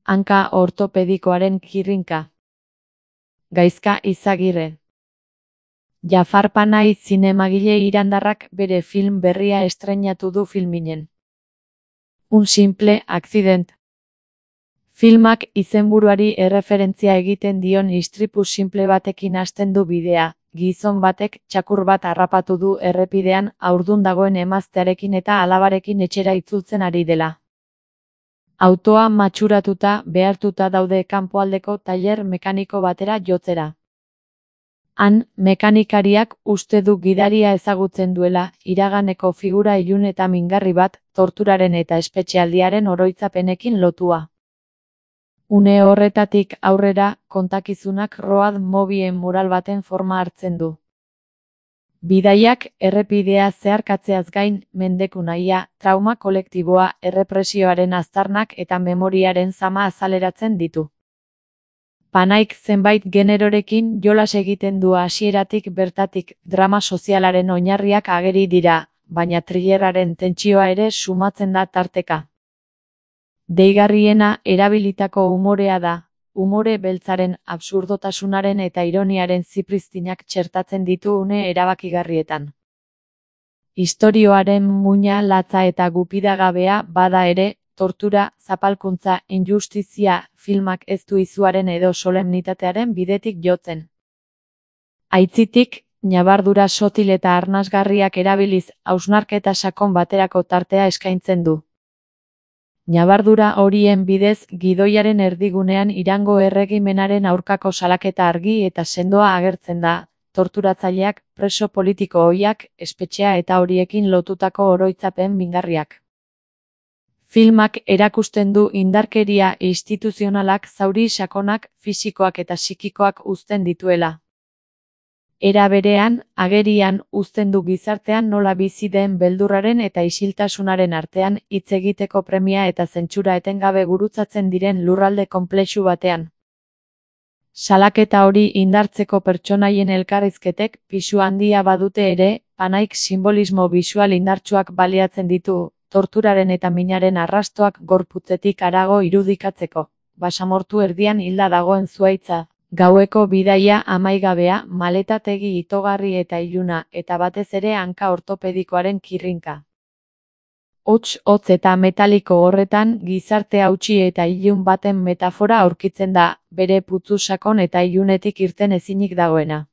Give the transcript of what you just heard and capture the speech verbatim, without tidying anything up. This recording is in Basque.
Hanka ortopedikoaren kirrinka. Gaizka Izagirre. Jafar Panay zinemagile irandarrak bere film berria estreinatu du Filminen. Un simple accident. Filmak izenburuari erreferentzia egiten dion istripu simple batekin hasten du bidea. Gizon batek txakur bat harrapatu du errepidean haurdun dagoen emaztearekin eta alabarekin etxera itzultzen ari dela. Autoa matxuratuta behartuta daude kanpoaldeko tailer mekaniko batera jotzera. Han, mekanikariak uste du gidaria ezagutzen duela, iraganeko figura ilun eta mingarri bat, torturaren eta espetxealdiaren oroitzapenekin lotua. Une horretatik aurrera, kontakizunak road movien mural baten forma hartzen du. Bidaiak errepidea zeharkatzeaz gain, mendeku nahia, trauma kolektiboa, errepresioaren aztarnak eta memoriaren zama azaleratzen ditu. Panaik zenbait generorekin jolas egiten du hasieratik bertatik, drama sozialaren oinarriak ageri dira, baina thrillerraren tentsioa ere sumatzen da tarteka. Deigarriena erabilitako umorea da, umore beltzaren absurdotasunaren eta ironiaren zipriztinak txertatzen ditu une erabakigarrietan. Istorioaren muina latza eta gupidagabea bada ere, tortura, zapalkuntza, injustizia, filmak ez du izuaren edo solemnitatearen bidetik jotzen. Aitzitik, ñabardura sotil eta arnasgarriak erabiliz, hausnarketa sakon baterako tartea eskaintzen du. Ñabardura horien bidez, gidoiaren erdigunean Irango erregimenaren aurkako salaketa argi eta sendoa agertzen da, torturatzaileak, preso politiko ohiak, espetxea eta horiekin lotutako oroitzapen mingarriak. Filmak erakusten du indarkeria instituzionalak zauri sakonak, fisikoak eta psikikoak uzten dituela. Era berean, agerian uzten du gizartean nola bizi den beldurraren eta isiltasunaren artean hitz egiteko premia eta zentsura etengabe gurutzatzen diren lurralde konplexu batean. Salaketa hori indartzeko pertsonaien elkarrizketek pisu handia badute ere, Panaik simbolismo bisual indartsuak baliatzen ditu, torturaren eta minaren arrastoak gorputzetik harago irudikatzeko, basamortu erdian hilda dagoen zuhaitza. Gaueko bidaia amaigabea, maletategi itogarri eta iluna, eta batez ere hanka ortopedikoaren kirrinka. Hots, hotz eta metaliko horretan, gizarte hautsi eta ilun baten metafora aurkitzen da, bere putzu sakon eta ilunetik irten ezinik dagoena.